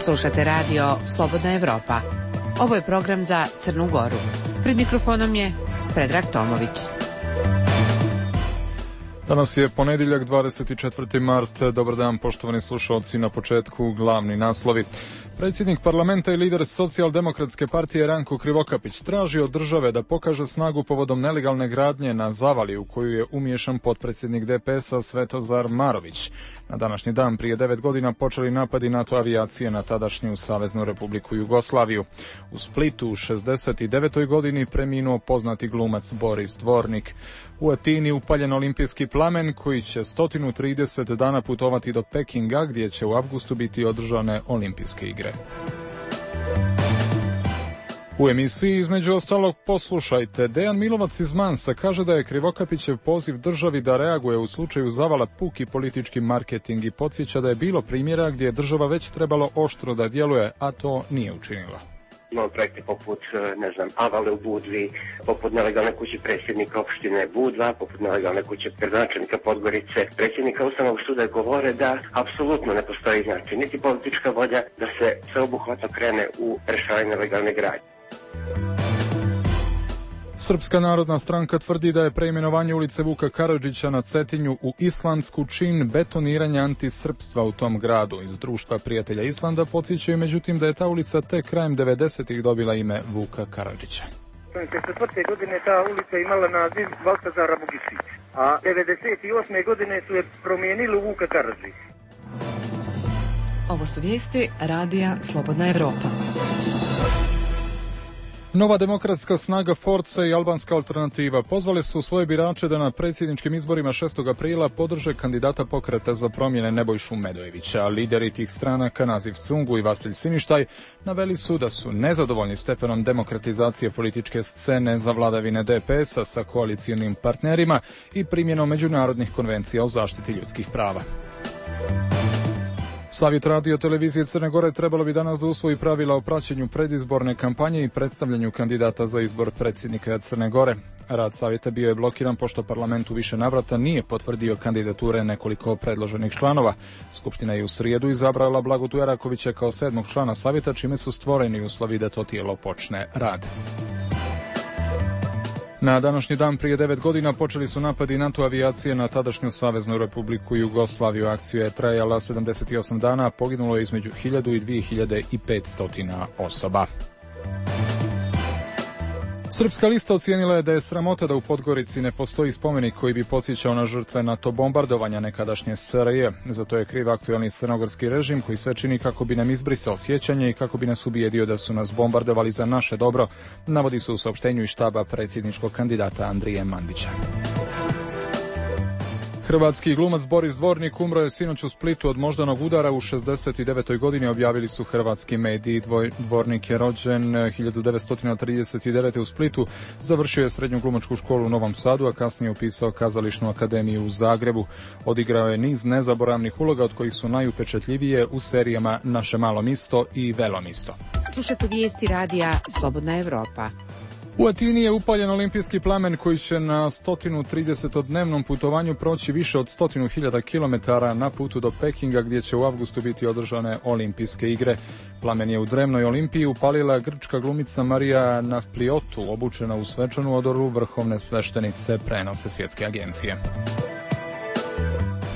Slušate radio Slobodna Evropa. Ovo je program za Crnu Goru. Pred mikrofonom je Predrag Tomović. Danas je ponedjeljak, 24. mart. Dobar dan, poštovani slušalci. Na početku glavni naslovi. Predsjednik parlamenta i lider Socijaldemokratske partije Ranko Krivokapić traži od države da pokaže snagu povodom nelegalne gradnje na Zavali u koju je umiješan potpredsjednik DPS-a Svetozar Marović. Na današnji dan prije 9 godina počeli napadi NATO avijacije na tadašnju Saveznu Republiku Jugoslaviju. U Splitu u 69. godini preminuo poznati glumac Boris Dvornik. U Atini upaljen olimpijski plamen koji će 130 dana putovati do Pekinga gdje će u avgustu biti održane olimpijske igre. U emisiji između ostalog poslušajte. Dejan Milovac iz Mansa kaže da je Krivokapićev poziv državi da reaguje u slučaju Zavala puki politički marketing i podsjeća da je bilo primjera gdje je država već trebalo oštro da djeluje, a to nije učinila. Imamo projekte poput, Avale u Budvi, poput nelegalne kuće predsjednika opštine Budva, poput nelegalne kuće gradonačelnika Podgorice. Predsjednika Ustavnog suda govore da apsolutno ne postoji niti politička volja da se sveobuhvatno krene u rješavanje nelegalne gradnje. Srpska narodna stranka tvrdi da je preimenovanje ulice Vuka Karadžića na Cetinju u islandsku čin betoniranja antisrpstva u tom gradu. Iz Društva prijatelja Islanda podsjećaju međutim da je ta ulica tek krajem 90-ih dobila ime Vuka Karadžića. 1994. godine ta ulica imala naziv Baltazara Bogišić, a 98. godine su je promijenili u Vuka Karadžić. Ovo su vijesti radija Slobodna Evropa. Nova demokratska snaga Forca i albanska alternativa pozvali su svoje birače da na predsjedničkim izborima 6. aprila podrže kandidata Pokreta za promjene Nebojšu Medojevića. Lideri tih stranaka Naziv Cungu i Vasilj Siništaj naveli su da su nezadovoljni stepenom demokratizacije političke scene za vladavine DPS-a sa koalicijonim partnerima i primjenom međunarodnih konvencija o zaštiti ljudskih prava. Savjet radio televizije Crne Gore trebalo bi danas da usvoji pravila o praćenju predizborne kampanje i predstavljanju kandidata za izbor predsjednika Crne Gore. Rad savjeta bio je blokiran pošto parlament u više navrata nije potvrdio kandidature nekoliko predloženih članova. Skupština je u srijedu izabrala Blagotu Erakovića kao 7. člana savjeta, čime su stvoreni uslovi da to tijelo počne rad. Na današnji dan prije 9 godina počeli su napadi NATO avijacije na tadašnju Saveznu Republiku Jugoslaviju. Akcija je trajala 78 dana, poginulo je između 1000 i 2500 osoba. Srpska lista ocijenila je da je sramota da u Podgorici ne postoji spomenik koji bi podsjećao na žrtve NATO bombardovanja nekadašnje SRJ. Zato je kriv aktualni crnogorski režim koji sve čini kako bi nam izbrisao sjećanje i kako bi nas ubijedio da su nas bombardovali za naše dobro, navodi se u saopštenju iz štaba predsjedničkog kandidata Andrije Mandića. Hrvatski glumac Boris Dvornik umro je sinoć u Splitu od moždanog udara u 69. godini, objavili su hrvatski mediji. Dvornik je rođen 1939. u Splitu, završio je srednju glumačku školu u Novom Sadu, a kasnije upisao kazališnu akademiju u Zagrebu. Odigrao je niz nezaboravnih uloga od kojih su najupečatljivije u serijama Naše malo misto i Velo misto. Slušate vijesti radija Slobodna Evropa. U Atini je upaljen olimpijski plamen koji će na 130-dnevnom putovanju proći više od 100.000 kilometara na putu do Pekinga gdje će u avgustu biti održane olimpijske igre. Plamen je u drevnoj Olimpiji upalila grčka glumica Marija Nafpliotu, obučena u svečanu odoru vrhovne sveštenice, prenose svjetske agencije.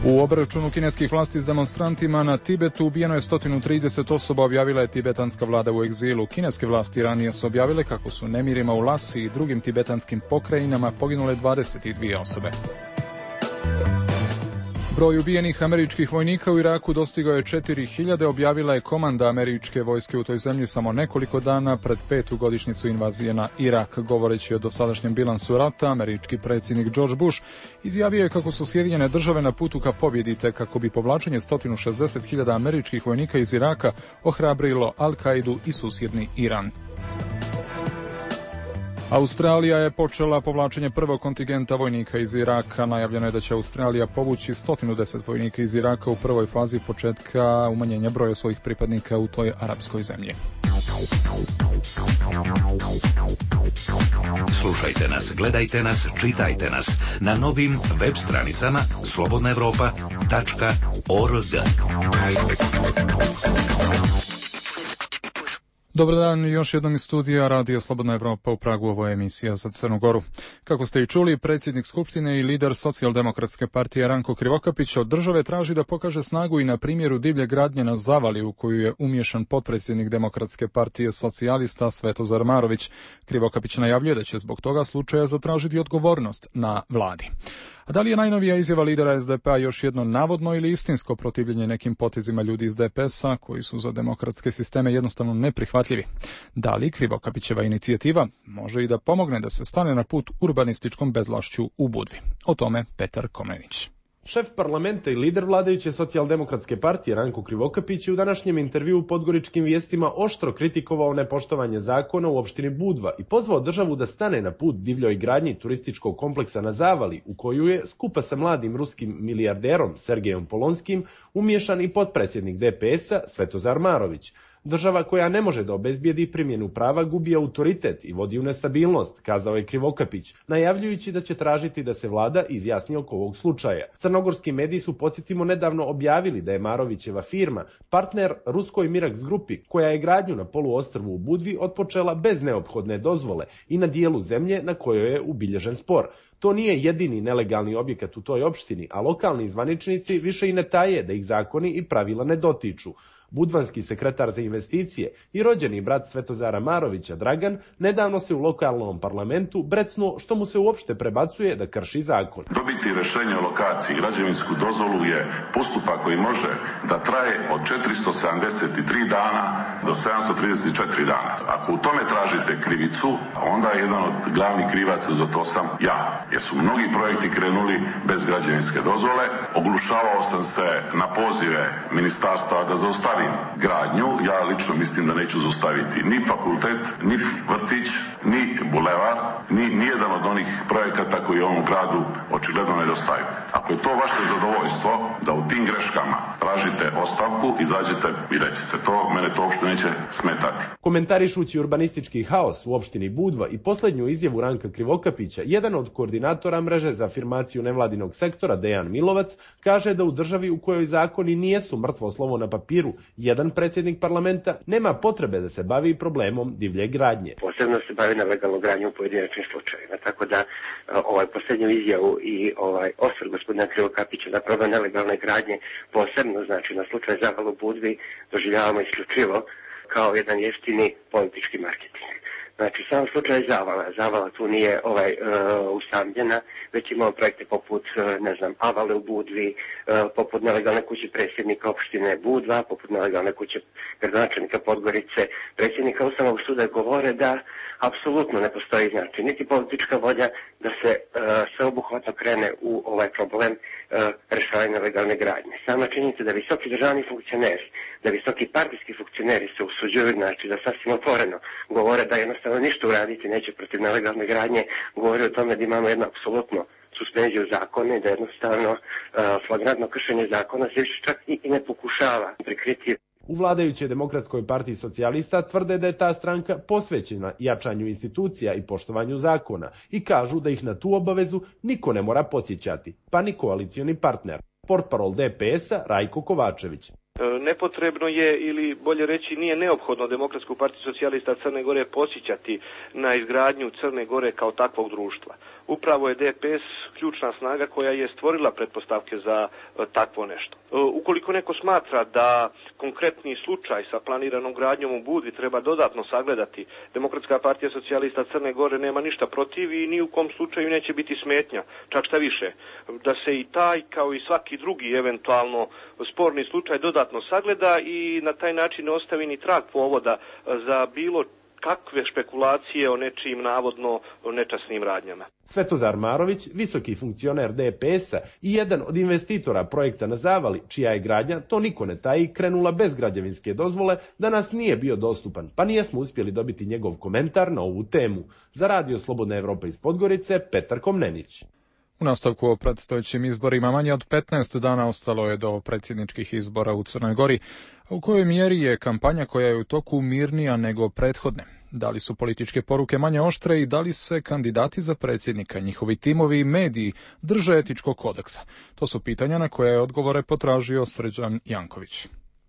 U obračunu kineskih vlasti s demonstrantima na Tibetu ubijeno je 130 osoba, objavila je tibetanska vlada u egzilu. Kineske vlasti ranije su objavile kako su nemirima u Lasi i drugim tibetanskim pokrajinama poginule 22 osobe. Broj ubijenih američkih vojnika u Iraku dostigao je 4000, objavila je komanda američke vojske u toj zemlji samo nekoliko dana pred 5. godišnjicu invazije na Irak. Govoreći o dosadašnjem bilansu rata, američki predsjednik George Bush izjavio je kako su Sjedinjene države na putu ka pobjedi te kako bi povlačenje 160.000 američkih vojnika iz Iraka ohrabrilo Al-Kaidu i susjedni Iran. Australija je počela povlačenje prvog kontingenta vojnika iz Iraka. Najavljeno je da će Australija povući 110 vojnika iz Iraka u prvoj fazi početka umanjenja broja svojih pripadnika u toj arapskoj zemlji. Slušajte nas, gledajte nas, čitajte nas na novim web stranicama slobodnaevropa.org. Dobar dan, još jednom iz studija Radija Slobodna Evropa u Pragu, ovo je emisija za Crnu Goru. Kako ste i čuli, predsjednik Skupštine i lider Socijaldemokratske partije Ranko Krivokapić od države traži da pokaže snagu i na primjeru divlje gradnje na Zavali u koju je umiješan potpredsjednik Demokratske partije socijalista Svetozar Marović. Krivokapić najavljuje da će zbog toga slučaja zatražiti odgovornost na vladi. A da li je najnovija izjava lidera SDP-a još jedno navodno ili istinsko protivljenje nekim potezima ljudi iz DPS-a koji su za demokratske sisteme jednostavno neprihvatljivi? Da li Krivokapićeva inicijativa može i da pomogne da se stane na put urbanističkom bezvlašću u Budvi? O tome Petar Komnenić. Šef parlamenta i lider vladajuće socijaldemokratske partije Ranko Krivokapić je u današnjem intervjuu u Podgoričkim vijestima oštro kritikovao nepoštovanje zakona u opštini Budva i pozvao državu da stane na put divljoj gradnji turističkog kompleksa na Zavali, u koju je, skupa sa mladim ruskim milijarderom Sergejom Polonskim, umiješan i potpredsjednik DPS-a Svetozar Marović. Država koja ne može da obezbijedi primjenu prava gubi autoritet i vodi u nestabilnost, kazao je Krivokapić, najavljujući da će tražiti da se vlada izjasni oko ovog slučaja. Crnogorski mediji su, podsjetimo, nedavno objavili da je Marovićeva firma partner ruskoj Mirax grupi, koja je gradnju na poluostrvu u Budvi otpočela bez neophodne dozvole i na dijelu zemlje na kojoj je ubilježen spor. To nije jedini nelegalni objekat u toj opštini, a lokalni zvaničnici više i ne taje da ih zakoni i pravila ne dotiču. Budvanski sekretar za investicije i rođeni brat Svetozara Marovića, Dragan, nedavno se u lokalnom parlamentu brecnuo što mu se uopšte prebacuje da krši zakon. Dobiti rješenje o lokaciji, građevinsku dozvolu je postupak koji može da traje od 473 dana do 734 dana. Ako u tome tražite krivicu, onda je jedan od glavnih krivaca za to sam ja. Jer su mnogi projekti krenuli bez građevinske dozvole. Oglušavao sam se na pozive ministarstva da zaustavim gradnju. Ja lično mislim da neću zaustaviti ni fakultet, ni vrtić, ni bulevar, ni jedan od onih projekata koji u ovom gradu očigledno nedostaju. Ako je to vaše zadovoljstvo da u tim greškama tražite ostavku, izađete i recite to, mene to uopšte neće smetati. Komentarišući urbanistički haos u opštini Budva i posljednju izjavu Ranka Krivokapića, jedan od koordinatora mreže za afirmaciju nevladinog sektora, Dejan Milovac, kaže da u državi u kojoj zakoni nijesu mrtvo slovo na papiru, jedan predsjednik parlamenta nema potrebe da se bavi problemom divlje gradnje. Posebno se bavi nelegalnom gradnjom u pojedinačnim slučajevima, tako da posljednju izjavu i osvrt gospodina Krivokapića na problem nelegalne gradnje, posebno znači na slučaj Zavala u Budvi, doživljavamo isključivo kao jedan jeftini politički marketing. Znači, sam slučaj Zavala tu nije usamljena, već imamo projekte poput, Avale u Budvi, poput nelegalne kuće predsjednika opštine Budva, poput nelegalne kuće gradonačelnika Podgorice, predsjednika Ustavnog suda govore da apsolutno ne postoji, znači, niti politička volja da se sveobuhvatno krene u ovaj problem rješavanja nelegalne gradnje. Sama činjenica da visoki državni funkcioneri, da visoki partijski funkcioneri se usuđuju, znači da sasvim otvoreno govore da jednostavno ništa uraditi neće protiv nelegalne gradnje, govori o tome da imamo jedno apsolutno suspenziju zakona i da jednostavno flagrantno kršenje zakona se više čak i ne pokušava prikriti. U vladajućoj Demokratskoj partiji socijalista tvrde da je ta stranka posvećena jačanju institucija i poštovanju zakona i kažu da ih na tu obavezu niko ne mora podsjećati, pa ni koalicioni partner. Portparol DPS-a Rajko Kovačević. Nepotrebno je, ili bolje reći nije neophodno, Demokratsku partiju socijalista Crne Gore podsjećati na izgradnju Crne Gore kao takvog društva. Upravo je DPS ključna snaga koja je stvorila pretpostavke za takvo nešto. Ukoliko neko smatra da konkretni slučaj sa planiranom gradnjom u Budvi treba dodatno sagledati, Demokratska partija socijalista Crne Gore nema ništa protiv i ni u kom slučaju neće biti smetnja. Čak šta više, da se i taj kao i svaki drugi eventualno sporni slučaj dodatno sagleda i na taj način ne ostavi ni trag povoda za bilo kakve špekulacije o nečijim navodno nečasnim radnjama. Svetozar Marović, visoki funkcioner DPS-a i jedan od investitora projekta na Zavali, čija je gradnja, to niko ne taji, krenula bez građevinske dozvole, danas nije bio dostupan, pa nijesmo uspjeli dobiti njegov komentar na ovu temu. Za Radio Slobodna Evropa iz Podgorice, Petar Komnenić. U nastavku o predstojećim izborima manje od 15 dana ostalo je do predsjedničkih izbora u Crnoj Gori, a u kojoj mjeri je kampanja koja je u toku mirnija nego prethodne. Da li su političke poruke manje oštre i da li se kandidati za predsjednika, njihovi timovi i mediji drže etičkog kodeksa? To su pitanja na koje je odgovore potražio Srđan Janković.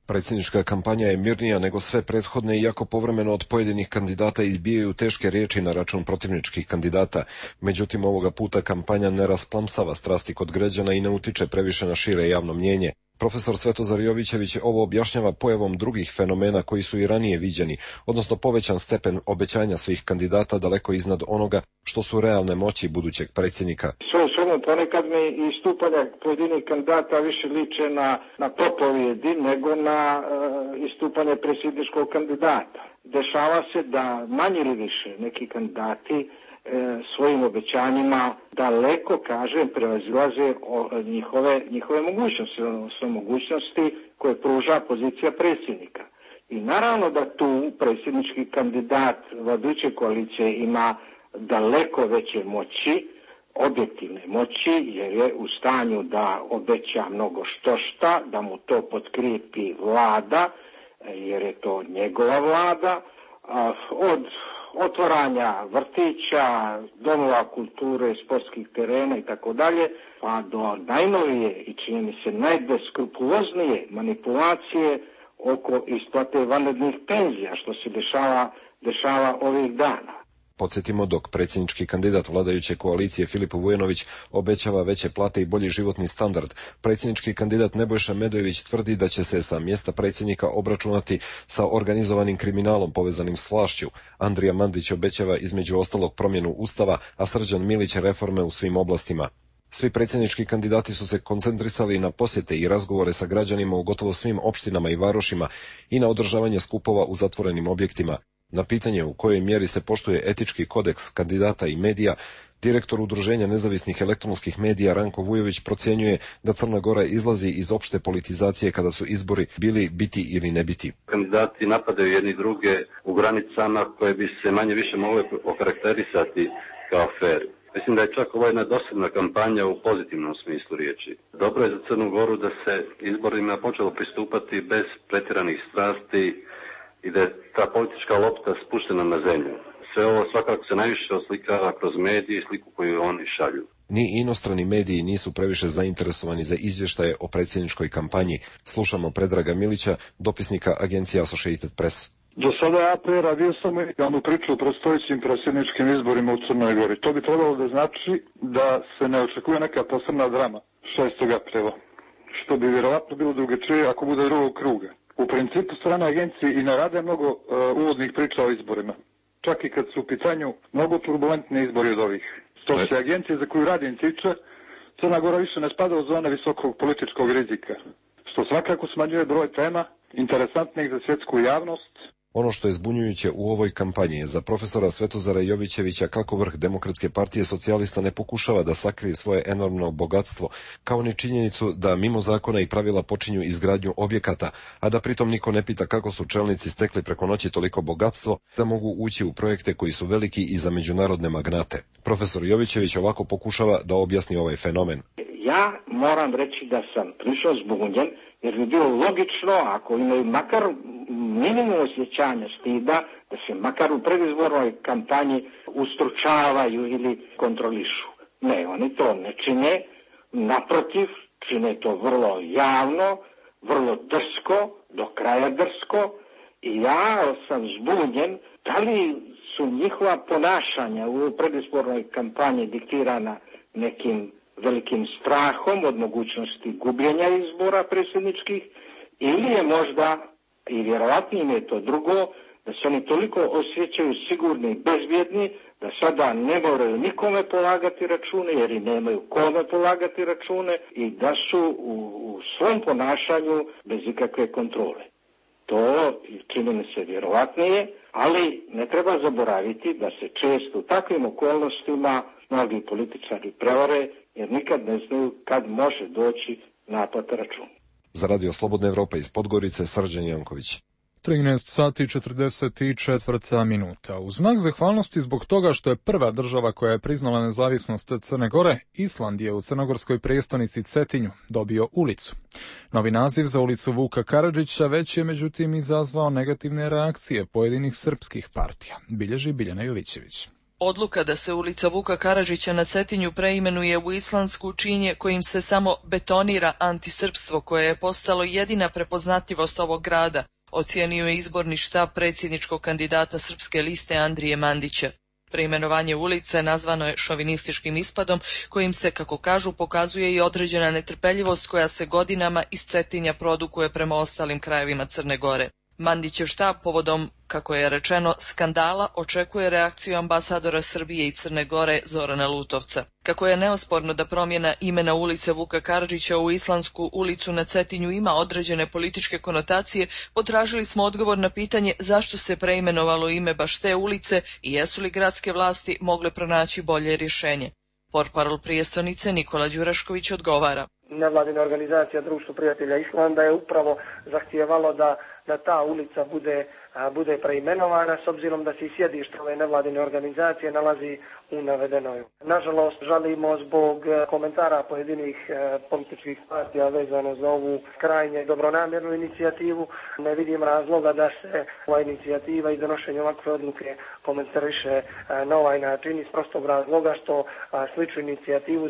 Predsjednička kampanja je mirnija nego sve prethodne, iako povremeno od pojedinih kandidata izbijaju teške riječi na račun protivničkih kandidata. Međutim, ovoga puta kampanja ne rasplamsava strasti kod građana i ne utiče previše na šire javno mnijenje. Profesor Svetozar Jovićević ovo objašnjava pojavom drugih fenomena koji su i ranije viđeni, odnosno povećan stepen obećanja svih kandidata daleko iznad onoga što su realne moći budućeg predsjednika. Samo ponekad mi istupanja pojedinih kandidata više liče na propovjedi nego na istupanje predsjedničkog kandidata. Dešava se da manje ili više neki kandidati svojim obećanjima daleko, kažem, prevazilaze njihove mogućnosti, odnosno mogućnosti koje pruža pozicija predsjednika. I naravno da tu predsjednički kandidat vladajuće koalicije ima daleko veće moći, objektivne moći, jer je u stanju da obeća mnogo štošta, da mu to potkrijepi vlada, jer je to njegova vlada, od otvaranja vrtića, domova kulture, sportskih terena i tako dalje, pa do najnovije i čini mi se najbeskrupuloznije manipulacije oko isplate vanrednih penzija, što se dešava ovih dana. Podsjetimo, dok predsjednički kandidat vladajuće koalicije Filip Vujanović obećava veće plate i bolji životni standard, predsjednički kandidat Nebojša Medojević tvrdi da će se sa mjesta predsjednika obračunati sa organizovanim kriminalom povezanim s vlašću. Andrija Mandić obećava između ostalog promjenu Ustava, a Srđan Milić reforme u svim oblastima. Svi predsjednički kandidati su se koncentrisali na posjete i razgovore sa građanima u gotovo svim opštinama i varošima i na održavanje skupova u zatvorenim objektima. Na pitanje u kojoj mjeri se poštuje etički kodeks kandidata i medija, direktor Udruženja nezavisnih elektronskih medija Ranko Vujović procjenjuje da Crna Gora izlazi iz opšte politizacije kada su izbori bili biti ili ne biti. Kandidati napadaju jedni druge u granicama koje bi se manje više mogle okarakterisati kao fer. Mislim da je čak ovo jedna dosadna kampanja u pozitivnom smislu riječi. Dobro je za Crnu Goru da se izborima počelo pristupati bez pretjeranih strasti i da je ta politička lopta spuštena na zemlju. Sve ovo svakako se najviše oslikava kroz medije i sliku koju oni šalju. Ni inostrani mediji nisu previše zainteresovani za izvještaje o predsjedničkoj kampanji. Slušamo Predraga Milića, dopisnika agencije Associated Press. Do sada je APR radio samo jednu priču o predstojećim predsjedničkim izborima u Crnoj Gori. To bi trebalo da znači da se ne očekuje neka posebna drama 6. aprila, što bi vjerovatno bilo drugačije ako bude drugog kruga. U principu strane agencije i ne rade mnogo uvodnih priča o izborima. Čak i kad su u pitanju mnogo turbulentni izbori od ovih. Što se agencije za koju radim tiče, Crna Gora više ne spada u zone visokog političkog rizika. Što svakako smanjuje broj tema interesantnih za svjetsku javnost. Ono što je zbunjujuće u ovoj kampanji je za profesora Svetozara Jovićevića kako vrh Demokratske partije socijalista ne pokušava da sakrije svoje enormno bogatstvo, kao ni činjenicu da mimo zakona i pravila počinju izgradnju objekata, a da pritom niko ne pita kako su čelnici stekli preko noći toliko bogatstvo da mogu ući u projekte koji su veliki i za međunarodne magnate. Profesor Jovićević ovako pokušava da objasni ovaj fenomen. Ja moram reći da sam prilično zbunjen, jer bi bilo logično, ako imaju makar minimum osjećanja stida, da se makar u predizbornoj kampanji ustručavaju ili kontrolišu. Ne, oni to ne čine, naprotiv, čine to vrlo javno, vrlo drsko, do kraja drsko, i ja sam zbunjen da li su njihova ponašanja u predizbornoj kampanji diktirana nekim velikim strahom od mogućnosti gubljenja izbora predsjedničkih, ili je možda, i vjerovatnije je to drugo, da se oni toliko osjećaju sigurni i bezbjedni da sada ne moraju nikome polagati račune, jer i nemaju kome polagati račune, i da su u svom ponašanju bez ikakve kontrole. To čini mi se vjerovatnije, ali ne treba zaboraviti da se često u takvim okolnostima mnogi političari prevare, jer nikad ne znaju kad može doći naplata računa. Za Radio Slobodna Evropa iz Podgorice, Srđan Janković. 13 sati 44 minuta. U znak zahvalnosti zbog toga što je prva država koja je priznala nezavisnost Crne Gore, Island je u crnogorskoj prijestolnici Cetinju dobio ulicu. Novi naziv za ulicu Vuka Karadžića već je međutim izazvao negativne reakcije pojedinih srpskih partija, bilježi Biljana Jovićević. Odluka da se ulica Vuka Karadžića na Cetinju preimenuje u islandsku činje kojim se samo betonira antisrpstvo koje je postalo jedina prepoznatljivost ovog grada, ocijenio je izborni štab predsjedničkog kandidata Srpske liste Andrije Mandića. Preimenovanje ulice nazvano je šovinističkim ispadom kojim se, kako kažu, pokazuje i određena netrpeljivost koja se godinama iz Cetinja produkuje prema ostalim krajevima Crne Gore. Mandićev štab povodom, kako je rečeno, skandala očekuje reakciju ambasadora Srbije i Crne Gore Zorana Lutovca. Kako je neosporno da promjena imena ulice Vuka Karadžića u islandsku ulicu na Cetinju ima određene političke konotacije, potražili smo odgovor na pitanje zašto se preimenovalo ime baš te ulice i jesu li gradske vlasti mogle pronaći bolje rješenje. Portparol prijestolnice Nikola Đurašković odgovara. Nevladina organizacija Društvo prijatelja Islanda je upravo zahtijevalo da ta ulica bude preimenovana, s obzirom da se i sjedište ove nevladine organizacije nalazi u navedenoj. Nažalost, žalimo zbog komentara pojedinih političkih partija vezano za ovu krajnje dobronamjernu inicijativu. Ne vidim razloga da se ova inicijativa i donošenje ovakve odluke komentariše na ovaj način iz prostog razloga što sličnu inicijativu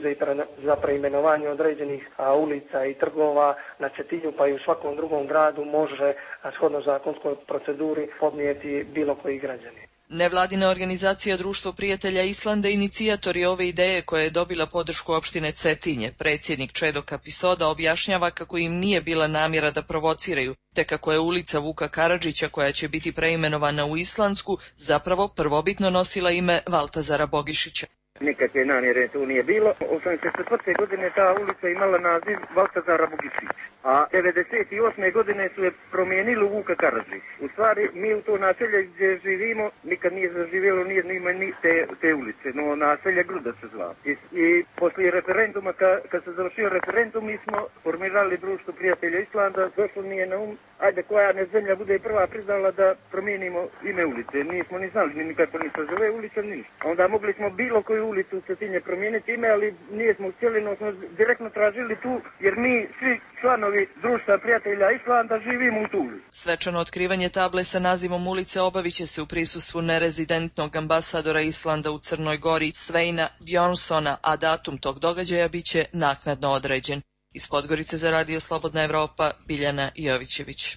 za preimenovanje određenih ulica i trgova na Cetinju pa i u svakom drugom gradu može shodno zakonskoj proceduri podnijeti bilo koji građanin. Nevladina organizacija Društvo prijatelja Islanda inicijator je ove ideje koja je dobila podršku opštine Cetinje. Predsjednik Čedo Kapisoda objašnjava kako im nije bila namjera da provociraju, te kako je ulica Vuka Karadžića koja će biti preimenovana u islandsku zapravo prvobitno nosila ime Valtazara Bogišića. Nikakve namjere tu nije bilo. 1984. godine ta ulica imala naziv Valtazara Bogišić, a 1998. godine su je promijenili u Vuka Karadžić. U stvari, mi u to naselje gdje živimo nikad nije zaživjelo ni te ulice, no naselje Gruda se zvao. I poslije referenduma, kad se završio referendum, mi smo formirali Društvo prijatelja Islanda, došlo mi je na ajde koja ne zemlja bude prva priznala da promijenimo ime ulice. Nismo ni znali ni kako ni se zove ulica, ni ništa. Onda mogli smo bilo koju ulicu u Cetinje promijeniti ime, ali nismo htjeli, no smo direktno tražili tu, jer mi svi članovi Društva prijatelja Islanda živimo u tu ulicu. Svečano otkrivanje table sa nazivom ulice obavit će se u prisustvu nerezidentnog ambasadora Islanda u Crnoj Gori Sveina Bjornsona, a datum tog događaja bit će naknadno određen. Iz Podgorice za Radio Slobodna Evropa, Biljana Jovićević.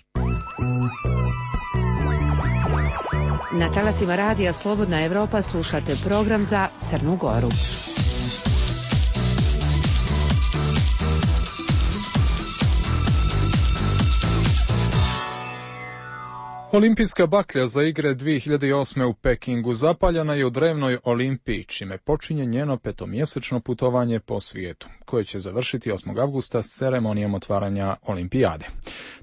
Na talasima Radija Slobodna Evropa slušate program za Crnu Goru. Olimpijska baklja za igre 2008. u Pekingu zapaljena je u drevnoj Olimpiji, čime počinje njeno petomjesečno putovanje po svijetu, koje će završiti 8. avgusta s ceremonijom otvaranja Olimpijade.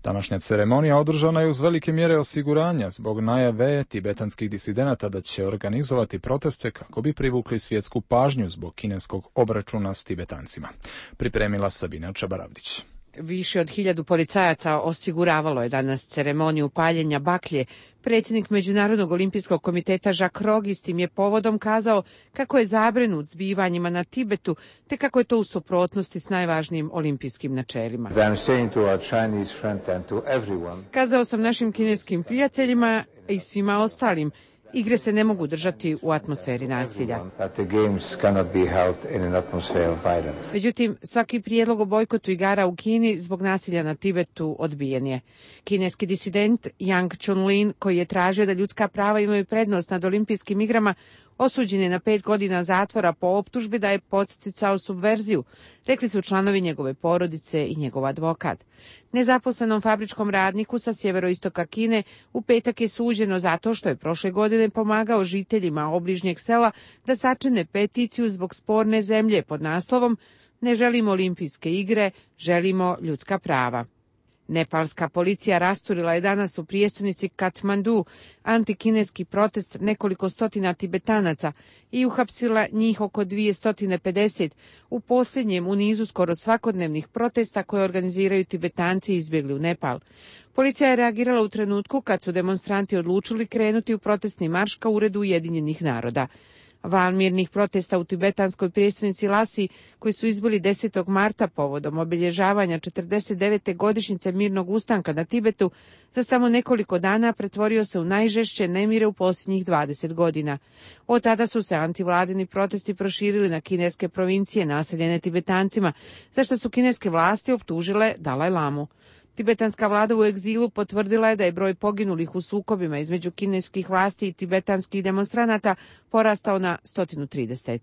Današnja ceremonija održana je uz velike mjere osiguranja zbog najave tibetanskih disidenata da će organizovati proteste kako bi privukli svjetsku pažnju zbog kineskog obračuna s Tibetancima. Pripremila Sabina Čabaravdić. Više od 1000 policajaca osiguravalo je danas ceremoniju paljenja baklje. Predsjednik Međunarodnog olimpijskog komiteta Jacques Rogge s tim je povodom kazao kako je zabrinut zbivanjima na Tibetu, te kako je to u suprotnosti s najvažnijim olimpijskim načelima. Kazao sam našim kineskim prijateljima i svima ostalim, igre se ne mogu držati u atmosferi nasilja. Međutim, svaki prijedlog o bojkotu igara u Kini zbog nasilja na Tibetu odbijen je. Kineski disident Yang Chunlin, koji je tražio da ljudska prava imaju prednost nad olimpijskim igrama, osuđen je na 5 godina zatvora po optužbi da je podsticao subverziju, rekli su članovi njegove porodice i njegov advokat. Nezaposlenom fabričkom radniku sa sjeveroistoka Kine u petak je suđeno zato što je prošle godine pomagao žiteljima obližnjeg sela da sačine peticiju zbog sporne zemlje pod naslovom "Ne želimo olimpijske igre, želimo ljudska prava". Nepalska policija rasturila je danas u prijestolnici Katmandu antikineski protest nekoliko stotina Tibetanaca i uhapsila njih oko 250 u posljednjem u nizu skoro svakodnevnih protesta koje organiziraju Tibetanci izbjegli u Nepal. Policija je reagirala u trenutku kad su demonstranti odlučili krenuti u protestni marš ka uredu Ujedinjenih naroda. Val mirnih protesta u tibetanskoj prijestolnici Lasi, koji su izbili 10. marta povodom obilježavanja 49. godišnjice mirnog ustanka na Tibetu, za samo nekoliko dana pretvorio se u najžešće nemire u posljednjih 20 godina. Od tada su se antivladini protesti proširili na kineske provincije naseljene Tibetancima, za što su kineske vlasti optužile Dalaj Lamu. Tibetanska vlada u egzilu potvrdila je da je broj poginulih u sukobima između kineskih vlasti i tibetanskih demonstranata porastao na 130.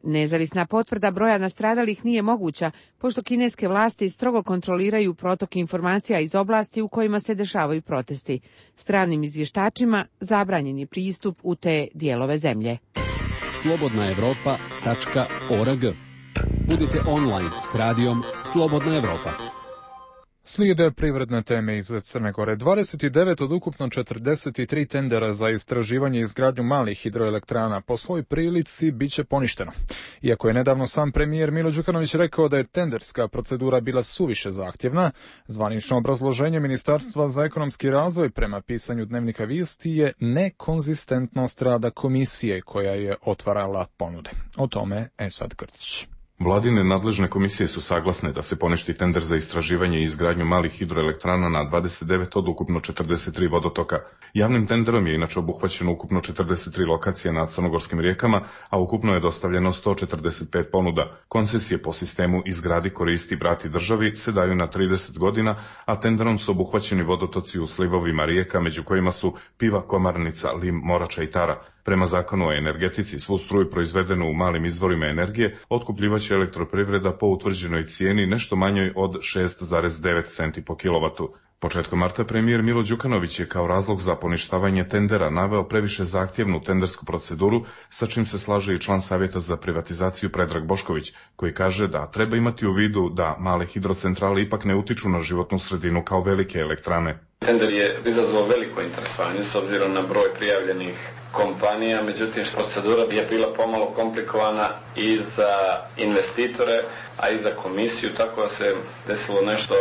Nezavisna potvrda broja nastradalih nije moguća, pošto kineske vlasti strogo kontroliraju protok informacija iz oblasti u kojima se dešavaju protesti. Stranim izvještačima zabranjen je pristup u te dijelove zemlje. slobodnaevropa.org. Budite online s radijom Slobodna Evropa. Slijede privredne teme iz Crne Gore. 29 od ukupno 43 tendera za istraživanje i izgradnju malih hidroelektrana po svoj prilici bit će poništeno. Iako je nedavno sam premijer Milo Đukanović rekao da je tenderska procedura bila suviše zahtjevna, zvanično obrazloženje Ministarstva za ekonomski razvoj prema pisanju Dnevnika Vijesti je nekonzistentnost rada komisije koja je otvarala ponude. O tome Esad Krcić. Vladine nadležne komisije su saglasne da se poništi tender za istraživanje i izgradnju malih hidroelektrana na 29 od ukupno 43 vodotoka. Javnim tenderom je inače obuhvaćeno ukupno 43 lokacije na crnogorskim rijekama, a ukupno je dostavljeno 145 ponuda. Koncesije po sistemu izgradi, koristi, vrati državi se daju na 30 godina, a tenderom su obuhvaćeni vodotoci u slivovima rijeka, među kojima su Piva, Komarnica, Lim, Morača i Tara. Prema zakonu o energetici, svu struju proizvedenu u malim izvorima energije otkupljivaće elektroprivreda po utvrđenoj cijeni nešto manjoj od 6,9 centi po kilovatu. Početkom marta premijer Milo Đukanović je kao razlog za poništavanje tendera naveo previše zahtjevnu tendersku proceduru, sa čim se slaže i član Savjeta za privatizaciju Predrag Bošković, koji kaže da treba imati u vidu da male hidrocentrale ipak ne utiču na životnu sredinu kao velike elektrane. Tender je izazvao veliko interesovanje s obzirom na broj prijavljenih kompanija, međutim procedura je bila pomalo komplikovana i za investitore, a i za komisiju, tako da se desilo nešto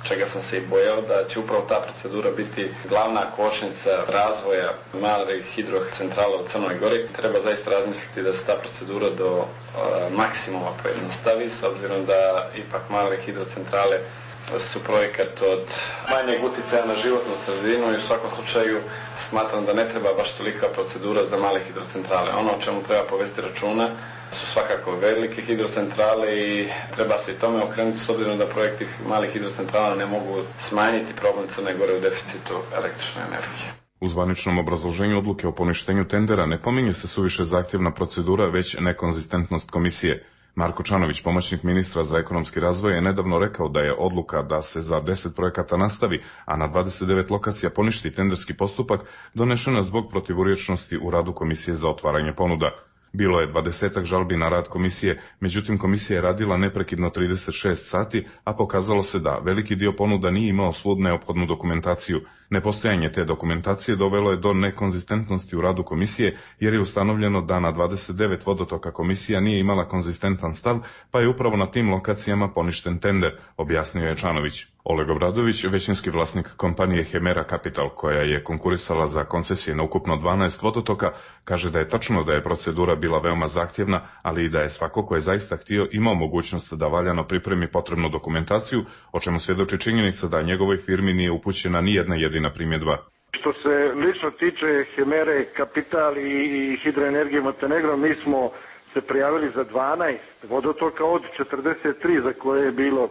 čega sam se i bojao, da će upravo ta procedura biti glavna kočnica razvoja malih hidrocentrala u Crnoj Gori. Treba zaista razmisliti da se ta procedura do maksimuma pojednostavi, s obzirom da ipak male hidrocentrale su projekat od manjeg utjecaja na životnu sredinu i u svakom slučaju smatram da ne treba baš tolika procedura za male hidrocentrale. Ono o čemu treba povesti računa su svakako velike hidrocentrale i treba se i tome okrenuti s obzirom da projekti malih hidrocentrala ne mogu smanjiti problem Crne Gore u deficitu električne energije. U zvaničnom obrazloženju odluke o poništenju tendera ne pominje se suviše zahtjevna procedura, već nekonzistentnost komisije. Marko Čanović, pomoćnik ministra za ekonomski razvoj, je nedavno rekao da je odluka da se za 10 projekata nastavi, a na 29 lokacija poništi tenderski postupak, donešena zbog protivurječnosti u radu Komisije za otvaranje ponuda. Bilo je 20 žalbi na rad komisije, međutim komisija je radila neprekidno 36 sati, a pokazalo se da veliki dio ponuda nije imao svu neophodnu dokumentaciju. Nepostojanje te dokumentacije dovelo je do nekonzistentnosti u radu komisije, jer je ustanovljeno da na 29 vodotoka komisija nije imala konzistentan stav, pa je upravo na tim lokacijama poništen tender, objasnio je Čanović. Oleg Obradović, većinski vlasnik kompanije Hemera Capital, koja je konkurisala za koncesije na ukupno 12 vodotoka, kaže da je tačno da je procedura bila veoma zahtjevna, ali i da je svako ko je zaista htio imao mogućnost da valjano pripremi potrebnu dokumentaciju, o čemu svjedoči činjenica da njegovoj firmi nije upućena ni jedna jedina primjedba. Što se lično tiče Hemere Capital i hidroenergije Montenegro, mi smo se prijavili za 12 vodotoka od 43 za koje je bilo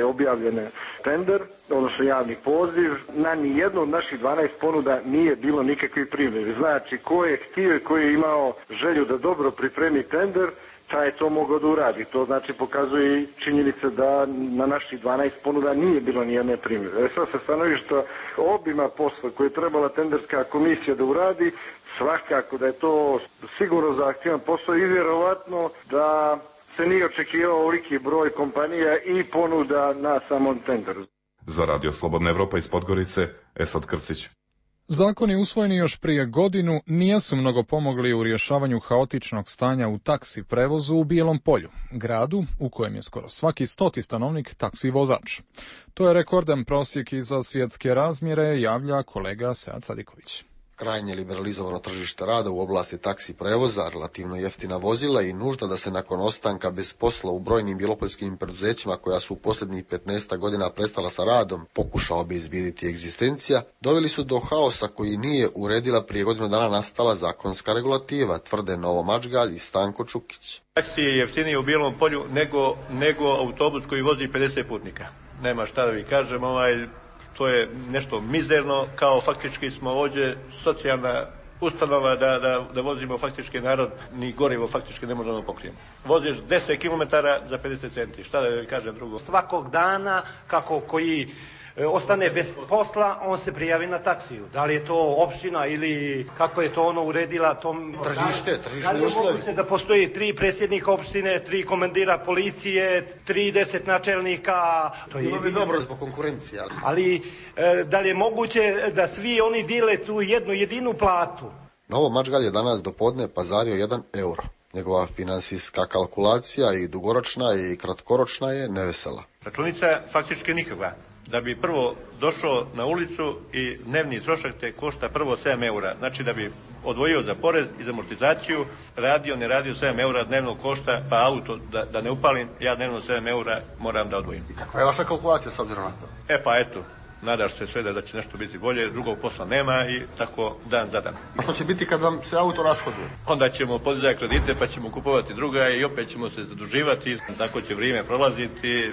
objavljen tender, odnosno javni poziv. Na nijednu od naših 12 ponuda nije bilo nikakvih primjedbi. Znači, ko je htio i ko je imao želju da dobro pripremi tender, taj je to mogao da uradi. To znači pokazuje činjenica da na naših 12 ponuda nije bilo nijedne primjedbe. Sad sa stanovišta obima posla koje je trebala tenderska komisija da uradi, svakako da je to sigurno zahtjevan posao i vjerovatno da se nije očekivao ovoliki broj kompanija i ponuda na samom tenderu. Za Radio Slobodna Evropa iz Podgorice, Esad Krcić. Zakoni usvojeni još prije godinu nisu mnogo pomogli u rješavanju haotičnog stanja u taksi prevozu u Bijelom Polju, gradu u kojem je skoro svaki 100. stanovnik taksi vozač. To je rekordan prosjek i za svjetske razmjere, javlja kolega Sead Sadiković. Krajnje liberalizovano tržište rada u oblasti taksi prevoza, relativno jeftina vozila i nužda da se nakon ostanka bez posla u brojnim bjelopoljskim preduzećima koja su u posljednjih 15 godina prestala sa radom pokuša obezbijediti egzistencija, doveli su do haosa koji nije uredila prije godinu dana nastala zakonska regulativa, tvrde Novo Mačgalj i Stanko Čukić. Taksi je jeftiniji u Bijelom Polju nego autobus koji vozi 50 putnika. Nema šta da vi kažem, to je nešto mizerno, kao faktički smo ovdje socijalna ustanova da vozimo faktički narod, ni gorivo faktički ne možemo pokrijemo. Voziš 10 km za 50 centi, šta da kažem drugo. Svakog dana kako koji ostane bez posla, on se prijavi na taksiju. Da li je to opština ili kako je to ono uredila tom tržište da li je moguće da postoji 3 predsjednika opštine, 3 komandira policije, 30 načelnika. To bilo bi dobro zbog konkurencije. Ali da li je moguće da svi oni dijele tu jednu jedinu platu? Novo Mačgalj je danas do podne pazario 1 euro. Njegova financijska kalkulacija i dugoročna i kratkoročna je nevesela. Računica faktički nikakva. Da bi prvo došao na ulicu i dnevni trošak te košta prvo 7 eura. Znači da bi odvojio za porez i za amortizaciju, ne radio 7 eura dnevno košta, pa auto da ne upalim, ja dnevno 7 eura moram da odvojim. I kakva je vaša kalkulacija s obzirom na to? Pa eto, nadaš se sve da će nešto biti bolje, drugog posla nema i tako dan za dan. A što će biti kad vam se auto rashoduje? Onda ćemo podizati kredite pa ćemo kupovati druga i opet ćemo se zaduživati, tako će vrijeme prolaziti.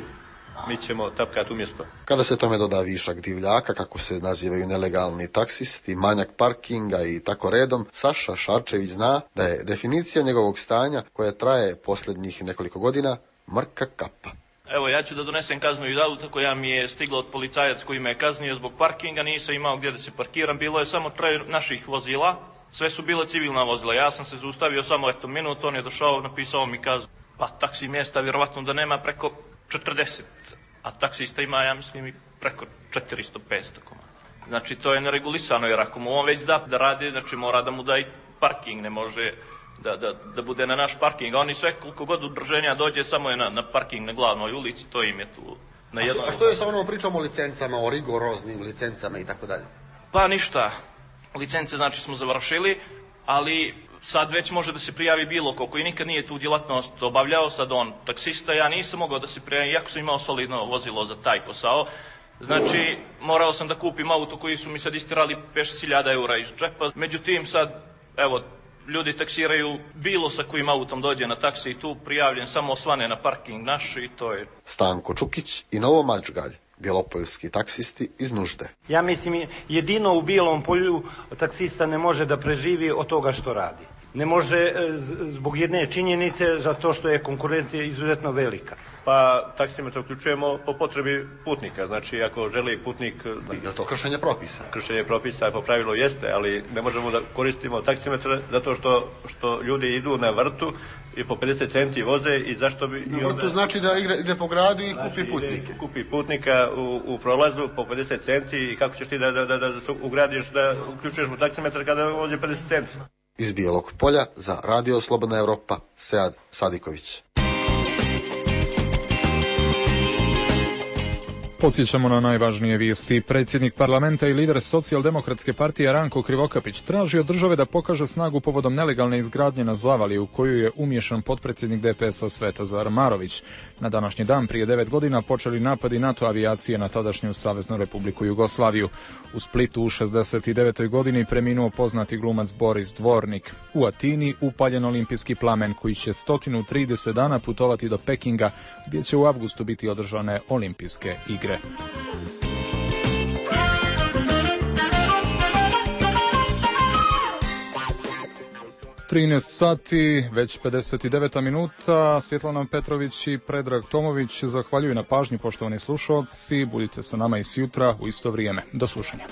Mi ćemo tapkati umjesto. Kada se tome doda višak divljaka, kako se nazivaju nelegalni taksisti, manjak parkinga i tako redom, Saša Šarčević zna da je definicija njegovog stanja, koja traje posljednjih nekoliko godina, mrka kapa. Evo, ja ću da donesem kaznu iz auta koja mi je stigla od policajac koji me je kaznio zbog parkinga, nisam imao gdje da se parkiram, bilo je samo 3 naših vozila, sve su bile civilna vozila, ja sam se zaustavio samo minut, on je došao, napisao mi kaznu, pa taksi mjesta vjerovatno da nema preko 40, a taksista ima, ja mislim, i preko 400-500 komada. Znači, to je neregulisano, jer ako mu on već da radi, znači mora da mu da i parking, ne može da bude na naš parking. Oni sve, koliko god udruženja dođe, samo je na parking na glavnoj ulici, to im je tu na jednom. A što je sa onom pričom o licencama, o rigoroznim licencama i tako dalje? Pa ništa, licence znači smo završili, ali sad već može da se prijavi bilo ko koji nikad nije tu djelatnost obavljao, sad on taksista, ja nisam mogao da se prijavim, iako sam imao solidno vozilo za taj posao. Znači, morao sam da kupim auto koji su mi sad istirali 5-6 eura iz džepa. Međutim, sad, evo, ljudi taksiraju bilo sa kojim autom dođe na taksi i tu prijavljen, samo osvane na parking naš i to je. Stanko Čukić i Novo Mačgalj, bjelopoljski taksisti iz nužde. Ja mislim, jedino u Bijelom Polju taksista ne može da preživi od toga što radi. Ne može zbog jedne činjenice, zato što je konkurencija izuzetno velika. Pa taksimetar uključujemo po potrebi putnika, znači ako želi putnik... Je to kršenje propisa? Kršenje propisa po pravilu jeste, ali ne možemo da koristimo taksimetar zato što ljudi idu na vrtu i po 50 centi voze i zašto bi... To znači da ide po gradu i kupi putnike. Kupi putnika u prolazu po 50 centi i kako ćeš ti da ugradiš, da uključuješ mu taksimetar kada vozi 50 centi? Iz Bijelog Polja za Radio Slobodna Europa, Sead Sadiković. Podsjećamo na najvažnije vijesti. Predsjednik parlamenta i lider Socijaldemokratske partije Ranko Krivokapić traži od države da pokaže snagu povodom nelegalne izgradnje na Zavali u koju je umiješan potpredsjednik DPS-a Svetozar Marović. Na današnji dan prije 9 godina počeli napadi NATO avijacije na tadašnju Saveznu Republiku Jugoslaviju. U Splitu u 69. godini preminuo poznati glumac Boris Dvornik. U Atini upaljen olimpijski plamen koji će 130 dana putovati do Pekinga gdje će u avgustu biti održane olimpijske igre. sati, već 59 minuta. Svjetlana Petrović i Predrag Tomović zahvaljuju na pažnji, poštovani slušalci. Budite sa nama i sjutra u isto vrijeme. Do slušanja.